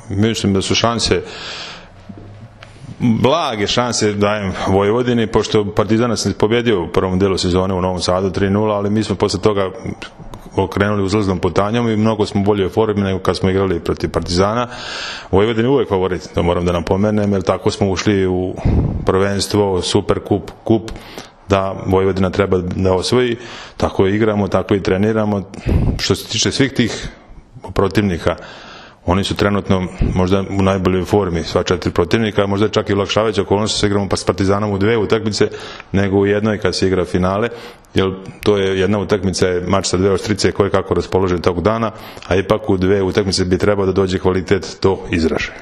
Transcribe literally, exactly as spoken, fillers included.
mislim da su šanse, blage šanse dajem Vojvodini, pošto Partizan nas pobjedio u prvom delu sezone u Novom Sadu tri nula, ali mi smo posle toga okrenuli uzlaznom putanjom i mnogo smo bolje u formi nego kad smo igrali protiv Partizana. Vojvodina je uvek favorit, to moram da napomenem, jer tako smo ušli u prvenstvo, super kup, kup, da Vojvodina treba da osvoji, tako i igramo, tako i treniramo. Što se tiče svih tih protivnika, oni su trenutno možda u najboljoj formi, sva četiri protivnika, možda čak i olakšavajuća okolnost se igramo pa s Partizanom u dve utakmice nego u jednoj kad se igra finale, jer to je jedna utakmica, je mač sa dve oštrice koje kako raspolože tog dana, a ipak u dve utakmice bi trebao da dođe kvalitet do izražaja.